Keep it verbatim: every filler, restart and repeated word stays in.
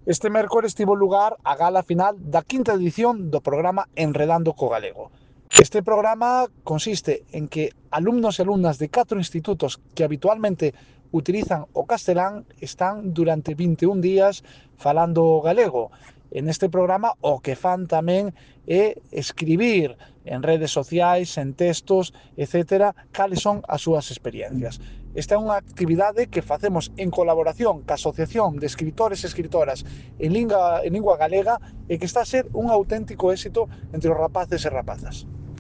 Este mércores tivo lugar a gala final da quinta edición do programa Enredando co Galego. Este programa consiste en que alumnos e alumnas de catro institutos que habitualmente utilizan o castelán están durante vinte e un días falando galego. En este programa o que fan tamén é escribir en redes sociais, en textos, etcétera, cales son as súas experiencias. Esta é unha actividade que facemos en colaboración ca Asociación de Escritores e Escritoras en lingua, en lingua galega e que está a ser un auténtico éxito entre os rapaces e rapazas.